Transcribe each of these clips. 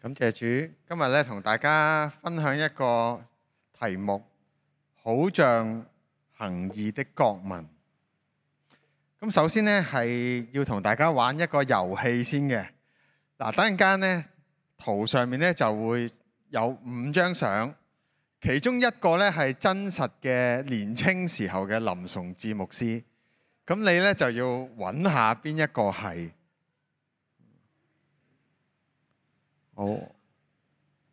感謝主，今日咧同大家分享一個題目，好像行義的國民。咁首先呢，係要同大家玩一個遊戲先嘅。嗱，等陣間呢，圖上面呢就會有5張相，其中一個呢係真實嘅年青時候嘅林崇智牧師。咁你呢就要揾下邊一個係。好，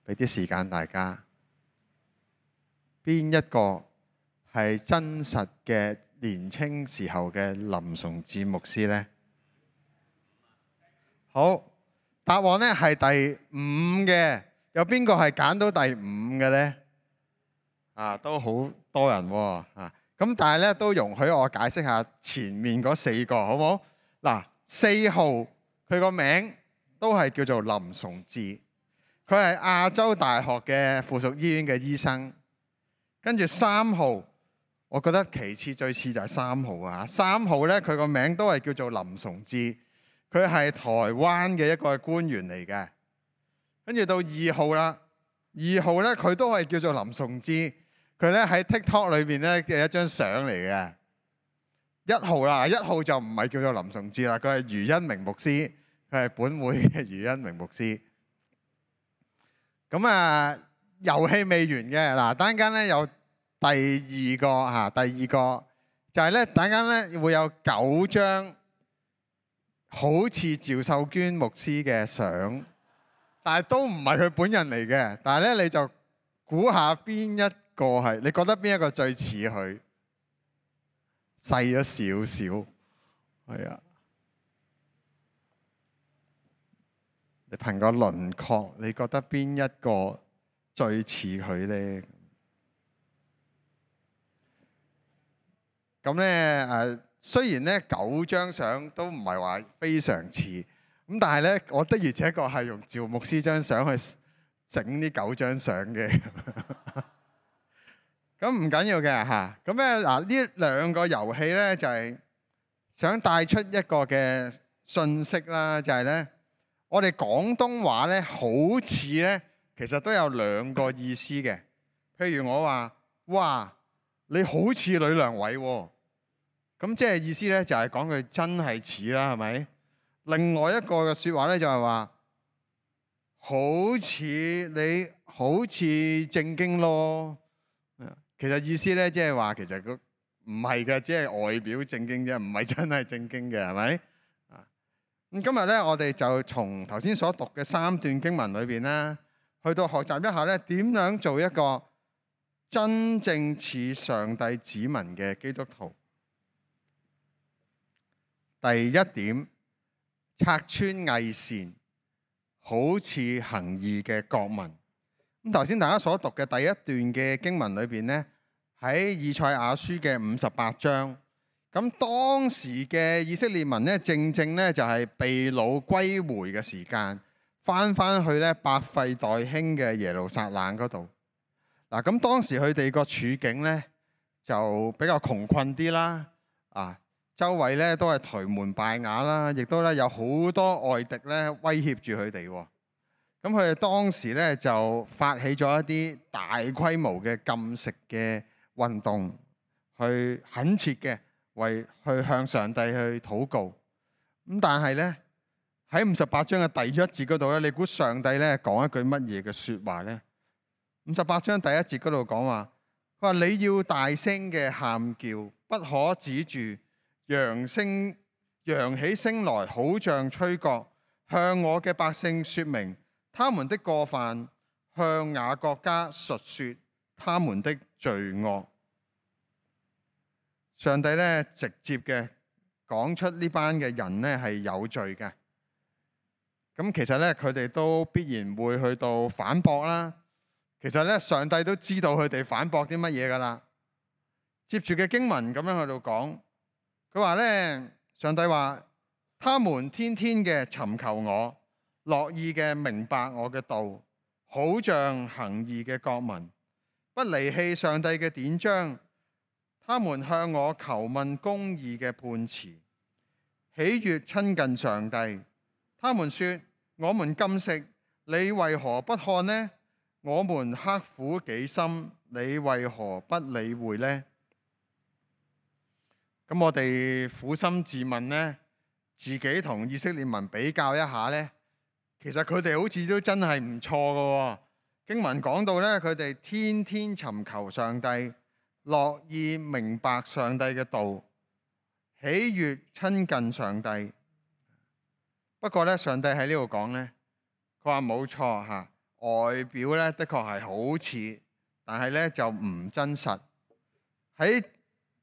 俾啲時間大家。邊一個係真實嘅年青時候嘅林崇智牧師呢？好，答案呢係第5嘅。有邊個係揀到第5嘅呢？都好多人喎。咁但係咧都容許我解釋下前面嗰4個，好唔好？嗱，4號佢個名都係叫做林崇智，佢係亞洲大學嘅附屬醫院嘅醫生。跟住3號，我覺得其次最似就係3號啊。3號呢，佢個名都係叫做林崇智，佢係台灣嘅一個官員嚟嘅。跟住到2號啦，2號呢，佢都係叫做林崇智，佢咧喺 TikTok 裏邊咧嘅一張相嚟嘅。1號啦，1號就唔係叫做林崇智啦，佢係余恩明牧師，佢係本會嘅余恩明牧師。咁遊戲未完嘅。嗱，等陣間咧有第二個就係咧，等陣間咧會有9張好似趙秀娟牧師嘅相，但係都唔係佢本人嚟嘅。但係咧你就估下邊一個係？你覺得邊一個最似佢？細咗少少，係啊。你憑個輪廓，你覺得邊一個最似佢呢？咁咧雖然咧9張相都唔係話非常似，咁但係咧我的而且確係用趙牧師張相去整呢9張相嘅。咁唔緊要嘅嚇。咁咧呢2個遊戲咧就係想帶出一個嘅信息啦，就係咧我哋廣東話咧好似咧其實都有2個意思嘅。譬如我話：哇，你好似呂良偉喎。咁即係意思咧就係講佢真係似啦，係咪？另外一個嘅説話咧就係話：好似你好似正經咯。其實意思咧即係話其實佢唔係嘅，只係外表正經啫，唔係真係正經嘅，係咪？咁今日咧我哋就從頭先所讀嘅3段經文裏邊咧，去到學習一下咧點樣做一個真正似上帝子民嘅基督徒。第1點，拆穿偽善，好似行義嘅國民。咁頭先大家所讀嘅第1段嘅經文裏邊呢，喺以賽亞書嘅58章。咁當時嘅以色列民呢，正呢就係被擄歸回嘅時間，翻去咧百廢待興嘅耶路撒冷嗰度。咁當時佢哋個處境呢，就比較窮困啲啦。周圍咧都係頹垣敗瓦啦，亦都咧有好多外敵咧威脅住佢哋。咁佢哋當時咧就發起咗一啲大規模嘅禁食嘅運動，去懇切嘅去向上帝去禱告。咁但係咧喺58章嘅第1節嗰度咧，你估上帝咧講一句乜嘢嘅説話呢？58章第1節嗰度講話，佢話你要大聲嘅喊叫，不可止住，揚起聲來，好像吹角，向我嘅百姓説明他們的過犯，向雅各家述說他們的罪惡。上帝咧直接嘅講出呢班嘅人咧係有罪嘅。咁其實咧佢哋都必然會去到反駁啦。其實咧上帝都知道佢哋反駁啲乜嘢噶啦。接住嘅經文咁樣去到講，佢話咧，上帝話：他們天天嘅尋求我，樂意嘅明白我嘅道，好像行義嘅國民，不離棄上帝嘅典章。他們向我求問公義嘅判詞，喜悅親近上帝。他們說：我們禁食，你為何不看呢？我們刻苦己心，你為何不理會呢？咁我哋苦心自問呢，自己同以色列民比較一下呢，其實佢哋好似都真係唔錯㗎。經文講到呢，佢哋天天尋求上帝，樂意明白上帝嘅道，喜悅親近上帝。不過呢，上帝喺呢度講呢，佢話冇錯嚇，外表呢的確係好似，但係呢就唔真實。喺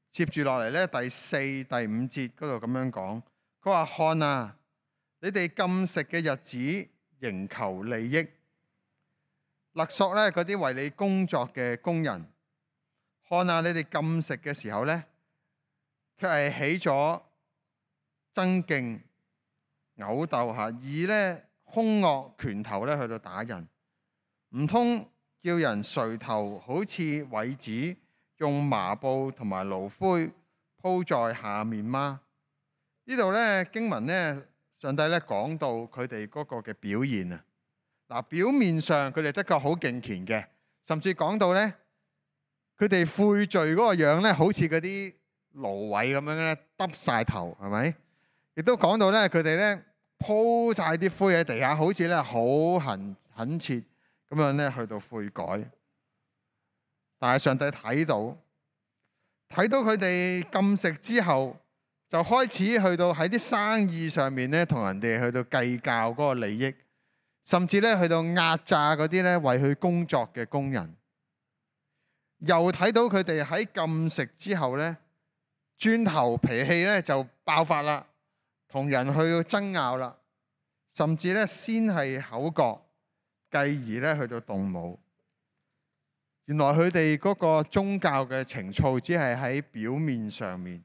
接住落嚟呢，第4、第5節嗰度咁樣講，佢話看啊，你哋禁食嘅日子仍求利益，勒索呢嗰啲為你工作嘅工人。看啊，你哋禁食嘅時候呢，卻係起咗爭競、毆鬥嚇，以呢兇惡拳頭呢去到打人，唔通叫人垂頭好似葦子，用麻布同埋爐灰鋪在下面嗎？呢度呢經文呢，上帝呢講到佢哋嗰個嘅表現啊。嗱，表面上佢哋的確好敬虔嘅，甚至講到呢，佢哋悔罪嗰個樣呢，好似嗰啲蘆葦咁樣呢，耷晒頭，係咪？亦都講到呢，佢哋呢鋪晒啲灰喺地下，好似呢好懇切咁樣呢去到悔改。但係上帝睇到佢哋禁食之後，就開始去到喺啲生意上面呢，同人哋去到計較嗰個利益，甚至呢去到壓榨嗰啲呢為佢工作嘅工人。又睇到佢哋喺禁食之後呢，轉頭脾氣呢就爆發啦，同人去到爭拗啦，甚至呢先係口角，繼而呢去到動武。原來佢哋嗰個宗教嘅情操只係喺表面上面。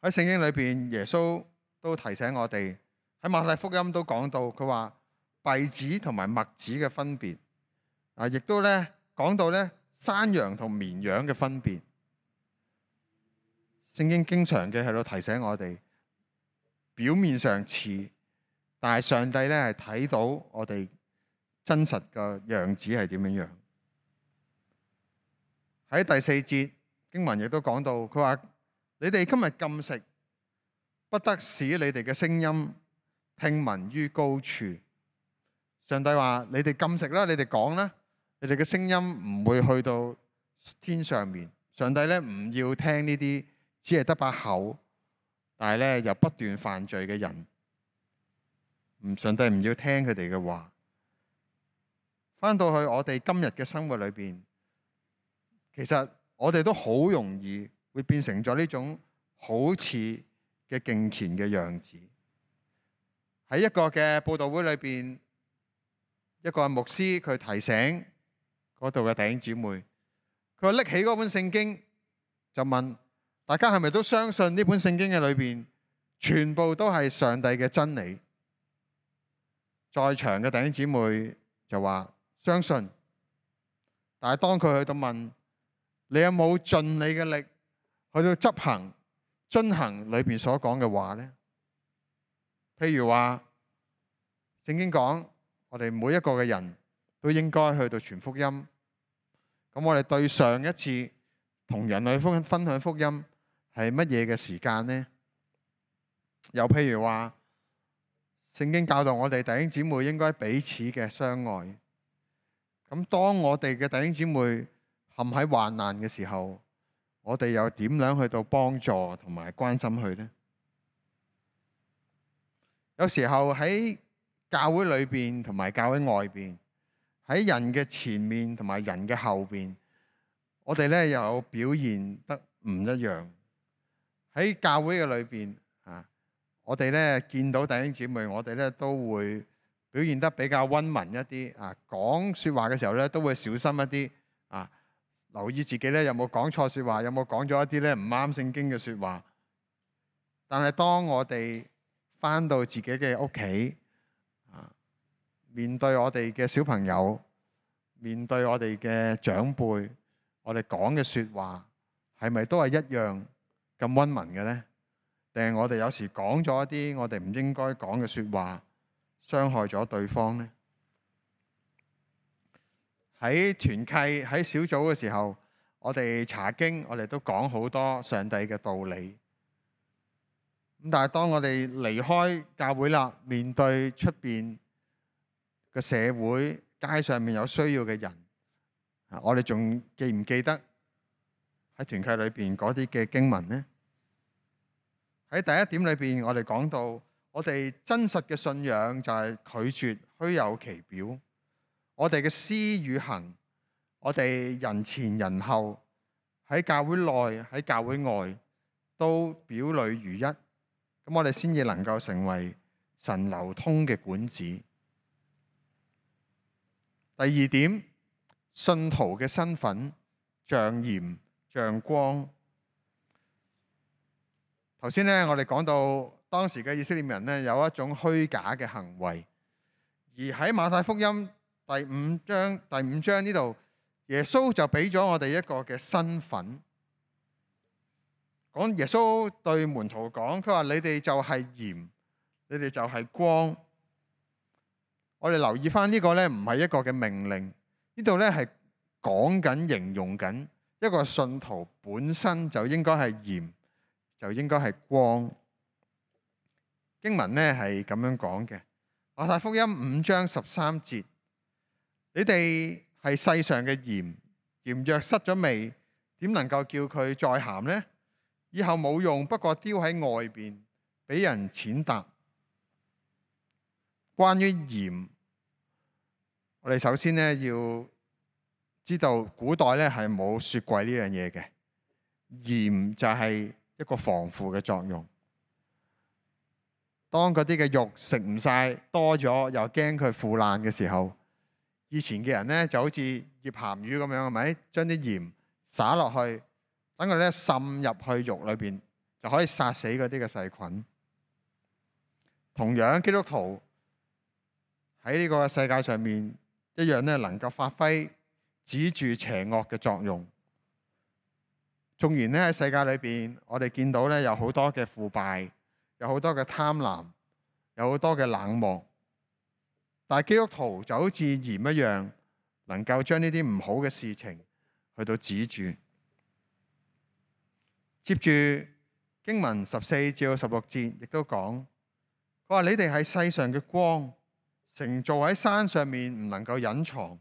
喺聖經裏邊，耶穌都提醒我哋，喺馬太福音都講到，佢話稗子同埋麥子嘅分別，亦都呢講到呢山羊同綿羊嘅分別。聖經經常嘅喺度提醒我哋，表面上似，但係上帝呢係睇到我哋真實嘅樣子係點樣樣。喺第4節經文亦都講到，佢話你哋今日禁食，不得使你哋嘅聲音聽聞於高處。上帝話你哋禁食啦，你哋講啦，你哋嘅聲音唔會去到天上面。上帝呢唔要聽呢啲只係得把口，但係呢又不斷犯罪嘅人。上帝唔要聽佢哋嘅話。翻到去我哋今日嘅生活裏邊，其實我哋都好容易會變成咗呢種好似嘅敬虔嘅樣子。喺一個嘅佈道會裏邊，一個牧師佢提醒嗰度嘅弟兄姊妹，佢話拎起嗰本聖經就問大家係咪都相信呢本聖經嘅裏邊全部都係上帝嘅真理？在場嘅弟兄姊妹就話相信，但係當佢去到問你有冇盡你嘅力去到執行遵行裏邊所講嘅話呢？譬如話聖經講我哋每一個嘅人都應該去到傳福音，咁我哋對上一次同人類分享福音係乜嘢嘅時間呢？又譬如話聖經教導我哋弟兄姊妹應該彼此嘅相愛。咁當我哋嘅弟兄姊妹陷喺患難嘅時候，我哋又點樣去到幫助同埋關心佢呢？有時候喺教會裏邊同埋教會外邊，喺人嘅前面同埋人嘅後邊，我哋呢有表現得唔一樣。喺教會嘅裏邊我哋呢見到弟兄姊妹，我哋呢都會表現得比較溫文一啲講說話嘅時候咧，都會小心一啲留意自己咧有冇講錯說話，有冇講咗一啲咧唔啱聖經嘅說話。但係當我哋返到自己嘅屋企面對我哋嘅小朋友，面對我哋嘅長輩，我哋講嘅說話係咪都係一樣咁溫文嘅呢？定係我哋有時講咗一啲我哋唔應該講嘅說話，傷害咗對方呢？喺團契喺小組嘅時候，我哋查經，我哋都講好多上帝嘅道理。咁但係當我哋離開教會啦，面對出邊嘅社會，街上面有需要嘅人，我哋仲記唔記得喺團契裏邊嗰啲嘅經文呢？喺第一點裏邊，我哋講到我哋真實嘅信仰就係拒絕虛有其表。我哋嘅思與行，我哋人前人後，喺教會內喺教會外都表裏如一，咁我哋先至能夠成為神流通嘅管子。第二點，信徒嘅身份像鹽像光。頭先呢，我哋講到當時嘅以色列人呢，有一種虛假嘅行為，而喺馬太福音第五章呢度，耶穌就俾咗我哋一個嘅身份。講耶穌對門徒講，佢話你哋就係鹽，你哋就係光。我哋留意翻呢個呢，唔係一個嘅命令，呢度呢係講緊形容緊一個信徒本身就應該係鹽，就應該係光。經文呢係咁樣講嘅，馬太福音5章13節。你哋係世上嘅鹽，鹽若失咗味，點能夠叫佢再鹹呢？以後冇用，不過丟喺外邊，俾人踐踏。關於鹽，我哋首先呢要知道，古代呢係冇雪櫃呢樣嘢嘅，鹽就係一個防腐嘅作用。當嗰啲嘅肉食唔晒，多咗又驚佢腐爛嘅時候，以前嘅人呢就好似醃鹹魚咁樣，係咪？將啲鹽灑落去，等佢咧滲入去肉裏邊，就可以殺死嗰啲嘅細菌。同樣，基督徒喺呢個世界上面一樣咧，能夠發揮止住邪惡嘅作用。縱然咧喺世界裏邊，我哋見到咧有好多嘅腐敗，有好多嘅貪婪，有好多嘅冷漠。但係基督徒就好似鹽一樣，能夠將呢啲唔好嘅事情去到止住。接住經文14至16節亦都講，佢話你哋係世上嘅光，城造喺山上面唔能夠隱藏。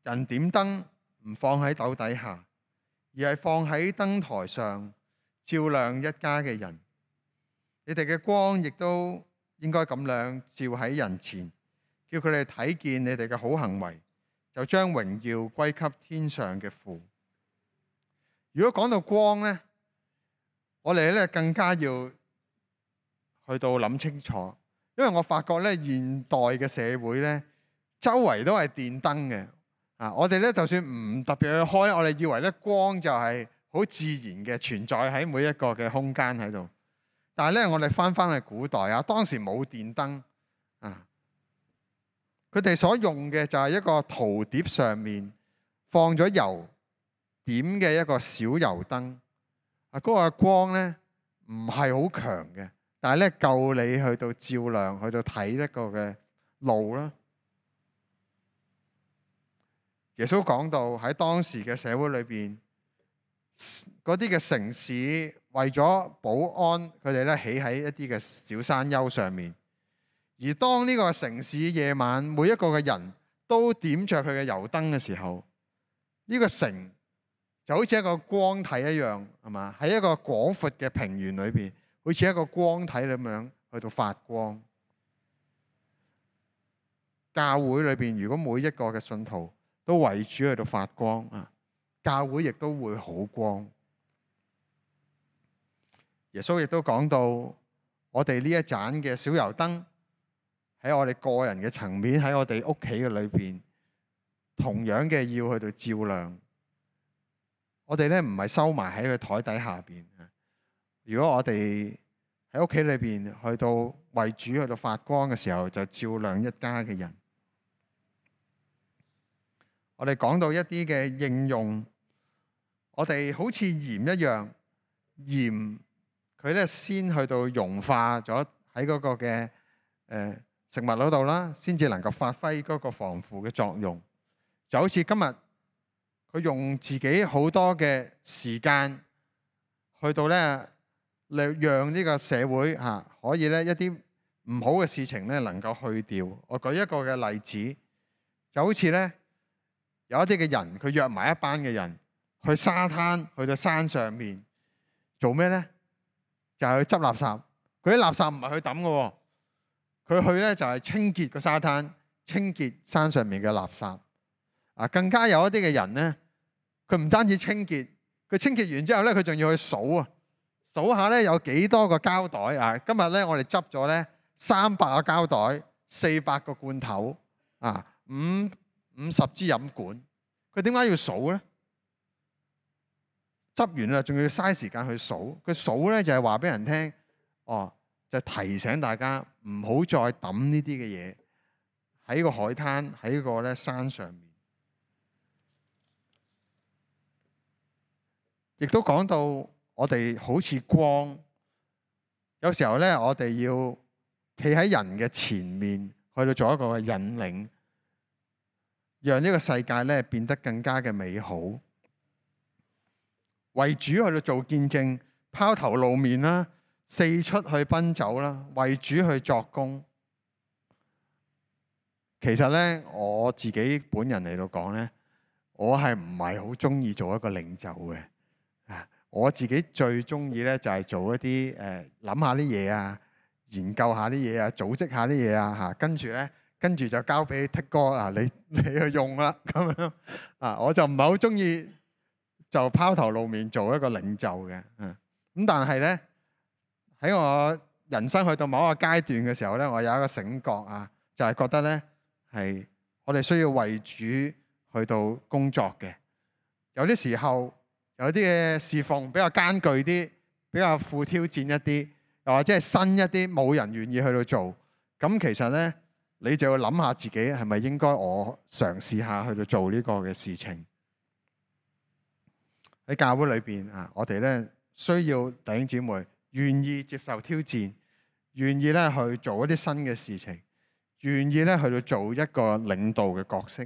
人點燈唔放喺斗底下，而係放喺燈台上，照亮一家嘅人。你哋嘅光亦都應該咁樣照喺人前，叫佢哋睇見你哋嘅好行為，就將榮耀歸給天上嘅父。如果講到光呢，我哋咧更加要去到諗清楚，因為我發覺咧現代嘅社會咧，周圍都係電燈嘅。我哋咧就算唔特別去開，我哋以為咧光就係好自然嘅存在喺每一個嘅空間喺度。但係咧，我哋翻去古代啊，當時冇電燈啊，佢哋所用嘅就係一個陶碟上面放咗油點嘅一個小油燈。嗰個光咧唔係好強嘅，但係咧夠你去到照亮，去到睇一個嘅路啦。耶穌講到喺當時嘅社會裏邊，嗰啲嘅城市為咗保安，佢哋咧起喺一啲嘅小山丘上面。而當呢個城市夜晚每一個嘅人都點着佢嘅油燈嘅時候，呢個城就好似一個光體一樣，係嘛？喺一個廣闊嘅平原裏邊，好似一個光體咁樣去到發光。教會裏邊，如果每一個嘅信徒都為主去到發光啊，教會亦都會好光。耶穌亦都講到，我哋呢一盞嘅小油燈喺我哋個人嘅層面，喺我哋屋企嘅裏邊，同樣嘅要去到照亮。我哋咧唔係收埋喺佢台底下邊。如果我哋喺屋企裏邊去到為主去到發光嘅時候，就照亮一家嘅人。我哋講到一啲嘅應用，我哋好似鹽一樣，鹽佢咧先去到融化咗喺嗰個嘅食物嗰度啦，先至能夠發揮嗰個防腐嘅作用。就好似今日佢用自己好多嘅時間去到咧，讓呢個社會可以咧一啲唔好嘅事情咧能夠去掉。我舉一個嘅例子，就好似咧有一啲嘅人，佢約埋一班嘅人去沙灘，去到山上面做咩咧？就係去執垃圾。佢啲垃圾唔係去抌嘅，佢去咧就係清潔個沙灘，清潔山上面嘅垃圾。更加有一啲嘅人咧，佢唔單止清潔，佢清潔完之後咧，佢仲要去數啊，數下咧有幾多個膠袋啊！今日咧我哋執咗咧300個膠袋，400個罐頭，50支飲管。佢點解要數咧？執完啦，仲要嘥時間去數。佢數咧就係話俾人聽，就提醒大家唔好再抌呢啲嘅嘢喺個海灘，喺個咧山上面。亦都講到我哋好似光，有時候咧我哋要企喺人嘅前面，去到做一個嘅引領，讓呢個世界咧變得更加嘅美好。為主去到做見證，拋頭露面啦，四出去奔走啦，為主去作工。其實咧我自己本人嚟到講咧，我係唔係好中意做一個領袖嘅。我自己最中意咧就係做一啲諗下啲嘢啊，研究下啲嘢啊，組織下啲嘢啊，跟住就交俾 Tik 哥你去用啦咁樣我就唔係好中意就拋頭露面做一個領袖嘅。咁但係咧喺我人生去到某一個階段嘅時候咧，我有一個醒覺就係覺得咧係我哋需要為主去到工作嘅。有啲時候有啲嘅侍奉比較艱巨啲，比較富挑戰一啲，又或者係新一啲，冇人願意去到做。咁其實咧，你就要諗下自己係咪應該我嘗試下去到做呢個嘅事情。喺教會裏邊我哋咧需要弟兄姊妹願意接受挑戰，願意咧去做一啲新嘅事情，願意咧去到做一個領導嘅角色。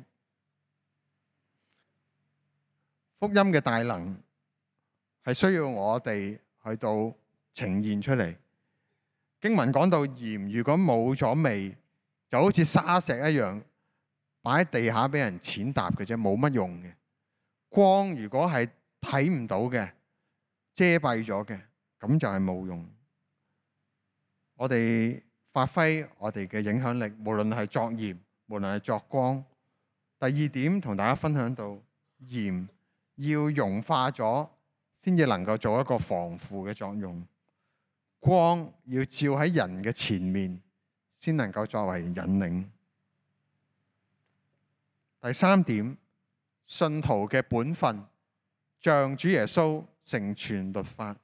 福音嘅大能係需要我哋去到呈現出嚟。經文講到鹽如果冇咗味，就好似沙石一樣擺喺地下俾人踐踏嘅啫，冇乜用嘅。光如果係睇唔到嘅，遮蔽咗嘅，咁就係冇用。我哋發揮我哋嘅影響力，無論係作鹽，無論係作光。第二點同大家分享到，鹽要融化咗先至能夠做一個防腐嘅作用，光要照喺人嘅前面先能夠作為引領。第三點，信徒嘅本分像主耶穌成全律法。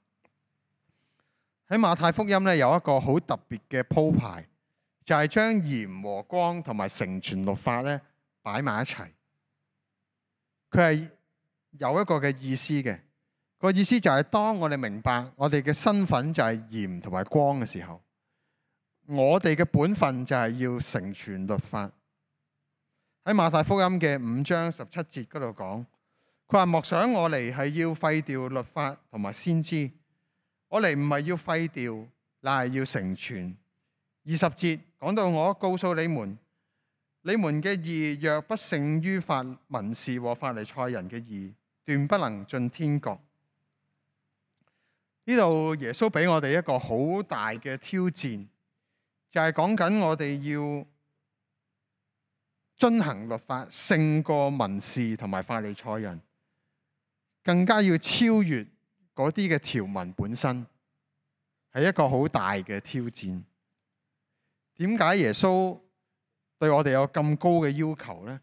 喺馬太福音咧有一個好特別嘅鋪排，就係將鹽和光同埋成全律法咧擺埋一齊。佢係有一個嘅意思嘅，個意思就係當我哋明白我哋嘅身份就係鹽同埋光嘅時候，我哋嘅本分就係要成全律法。喺馬太福音嘅5章17節嗰度講，佢話莫想我嚟係要廢掉律法同埋先知，我嚟唔係要廢掉，乃係要成全。20節講到我告訴你們，你們嘅義若不勝於文士和法利賽人嘅義，斷不能進天國。呢度耶穌俾我哋一個好大嘅挑戰，就係講緊我哋要遵行律法勝過文士同埋法利賽人，更加要超越嗰啲嘅條文本身，係一個好大嘅挑戰。點解耶穌對我哋有咁高嘅要求呢？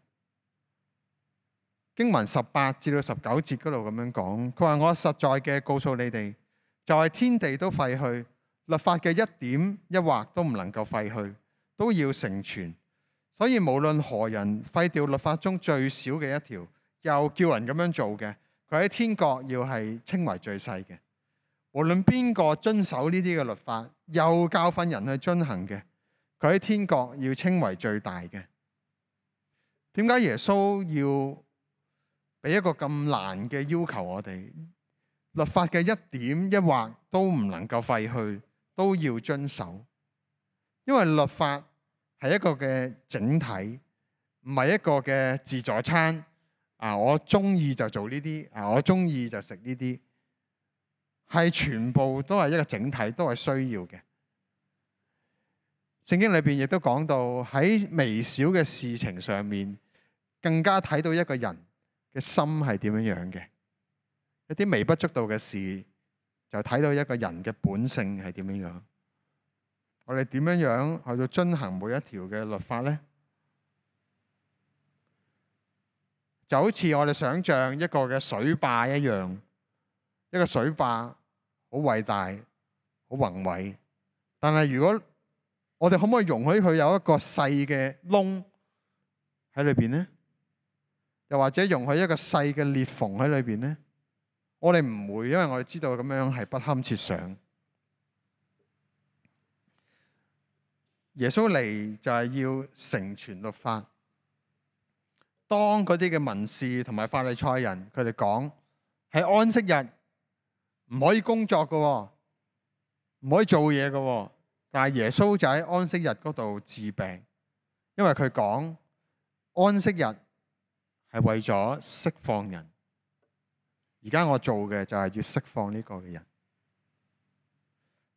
經文18至到19節嗰度咁樣講，佢話我實在嘅告訴你哋，就係天地都廢去，律法嘅一點一畫都唔能夠廢去，都要成全。所以無論何人廢掉律法中最小嘅一條，又叫人咁樣做嘅，佢喺天國要係稱為最細嘅。無論邊個遵守呢啲嘅律法，又教訓人去遵行嘅，佢喺天國要稱為最大嘅。點解耶穌要俾一個咁難嘅要求我哋？律法嘅一點一畫都唔能夠廢去，都要遵守。因為律法係一個嘅整體，唔係一個嘅自助餐。我中意就做呢啲，我中意就食呢啲，係全部都係一個整體，都係需要嘅。聖經裏邊亦都講到喺微小嘅事情上面，更加睇到一個人嘅心係點樣樣嘅。一啲微不足道嘅事，就睇到一個人嘅本性係點樣樣。我哋點樣樣去到遵行每一條嘅律法呢？就好似我哋想象一個嘅水壩一樣，一個水壩好偉大、好宏偉，但係如果我哋可唔可以容許佢有一個細嘅窿喺裏邊呢？又或者容許一個細嘅裂縫喺裏邊呢？我哋唔會，因為我哋知道咁樣係不堪設想。耶穌嚟就係要成全律法。當嗰啲嘅文士同埋法利賽人，佢哋講係安息日唔可以工作嘅，唔可以做嘢嘅。但係耶穌就喺安息日嗰度治病，因為佢講安息日係為咗釋放人。而家我做嘅就係要釋放呢個嘅人。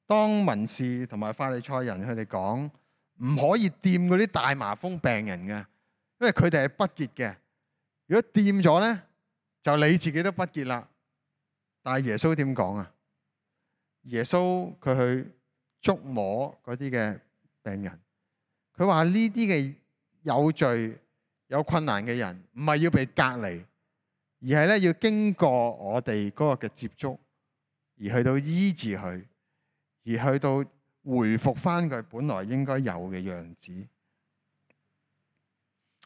當文士同埋法利賽人佢哋講唔可以掂嗰啲大麻風病人嘅，因為佢哋係不潔嘅。如果掂咗呢，就你自己都不潔啦。但係耶穌點講啊？耶穌佢去觸摸嗰啲嘅病人，佢話呢啲嘅有罪有困難嘅人，唔係要被隔離，而係咧要經過我哋嗰個嘅接觸，而去到醫治佢，而去到回復翻佢本來應該有嘅樣子。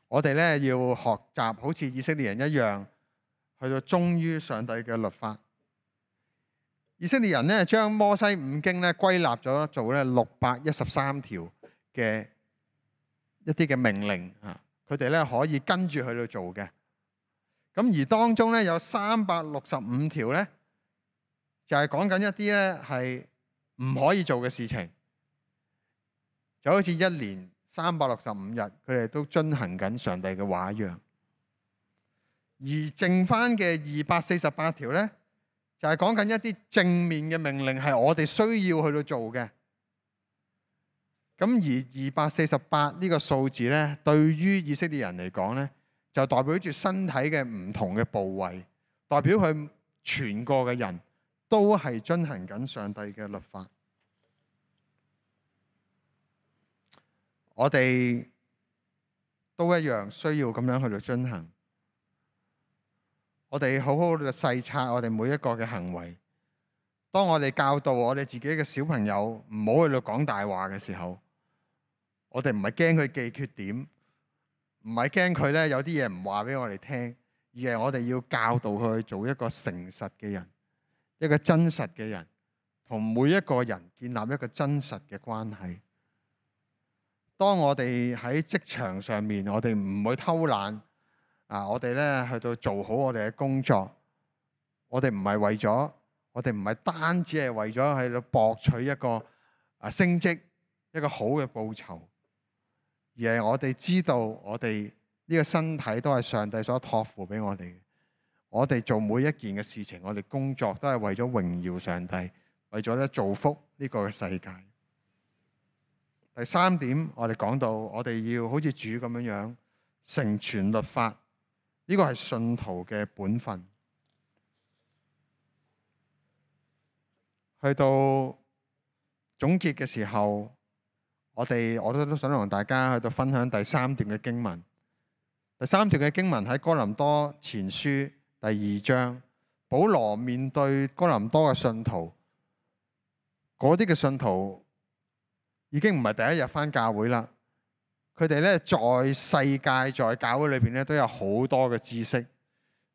我哋咧要學習好似以色列人一樣，去到忠於上帝嘅律法。以色列人咧將摩西五經咧歸納咗做咧613條嘅一啲嘅命令啊，佢哋咧可以跟住去到做嘅。咁而當中咧有365條咧，就係講緊一啲咧係唔可以做嘅事情，就好似一年365日，佢哋都遵行緊上帝嘅話一樣。而剩翻嘅248條咧，就係講緊一啲正面嘅命令，係我哋需要去到做嘅。咁而248呢個數字咧，對於以色列人嚟講咧，就代表住身體嘅唔同嘅部位，代表佢全個嘅人都係遵行緊上帝嘅律法。我哋都一樣需要咁樣去到遵行。我哋好好去細察我哋每一個嘅行為。當我哋教導我哋自己嘅小朋友唔好去到講大話嘅時候，我哋唔係驚佢記缺點，唔係驚佢咧有啲嘢唔話俾我哋聽，而係我哋要教導佢做一個誠實嘅人，一個真實嘅人，同每一個人建立一個真實嘅關係。當我哋喺職場上面，我哋唔會偷懶我哋咧去到做好我哋嘅工作。我哋唔係為咗，我哋唔係單止係為咗喺度博取一個升職，一個好嘅報酬，而係我哋知道我哋呢個身體都係上帝所託付俾我哋嘅。我哋做每一件嘅事情，我哋工作都係為咗榮耀上帝，為咗咧造福呢個嘅世界。第三點，我哋講到我哋要好似主咁樣樣成全律法，呢個係信徒嘅本分。去到總結嘅時候，我都想同大家去到分享第三段嘅經文。第三段嘅經文喺哥林多前書第2章，保羅面對哥林多嘅信徒，嗰啲嘅信徒已經唔係第一日返教會啦。佢哋咧在世界在教會裏邊咧都有好多嘅知識，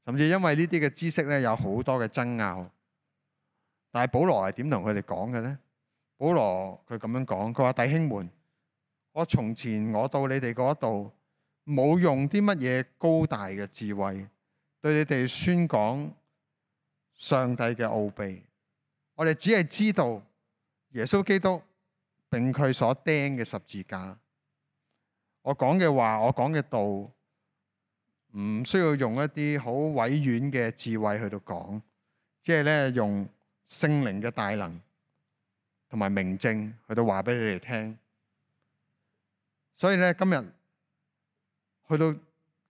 甚至因為呢啲嘅知識咧有好多嘅爭拗。但係保羅係點同佢哋講嘅呢？保羅佢咁樣講，佢話弟兄們，我從前我到你哋嗰度，冇用啲乜嘢高大嘅智慧對你哋宣講上帝嘅奧秘。我哋只係知道耶穌基督並佢所釘嘅十字架。我講嘅話，我講嘅道，唔需要用一啲好委婉嘅智慧去到講，即係咧用聖靈嘅大能同埋明證去到話俾你哋聽。所以咧今日去到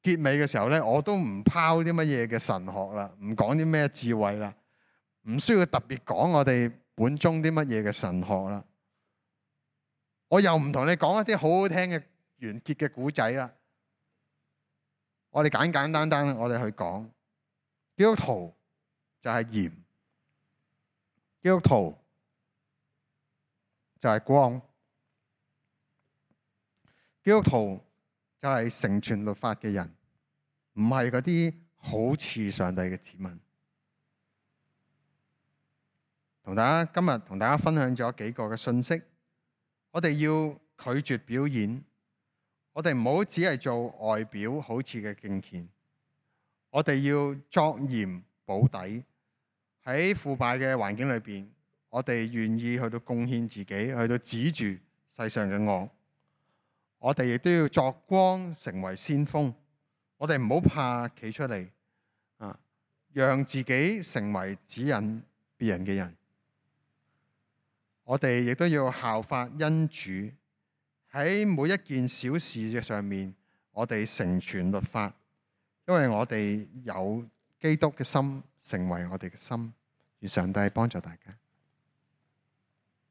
結尾嘅時候咧，我都唔拋啲乜嘢嘅神學啦，唔講啲咩智慧啦，唔需要特別講我哋本宗啲乜嘢嘅神學啦。我又唔同你講一啲好好聽嘅完結嘅古仔啦。我哋簡簡單單，我哋去講基督徒就係鹽，基督徒就係光，基督徒就係成全律法嘅人，唔係嗰啲好似上帝嘅子民。今日同大家分享咗幾個嘅信息，我哋要拒絕表演，我哋唔好只係做外表好似嘅敬虔，我哋要作鹽補底。喺腐敗嘅環境裏邊，我哋願意去到貢獻自己，去到止住世上嘅惡。我哋亦都要作光，成為先鋒。我哋唔好怕企出嚟，讓自己成為指引別人嘅人。我哋亦都要效法恩主，喺每一件小事嘅上面，我哋成全律法，因為我哋有基督嘅心成為我哋嘅心。願上帝幫助大家。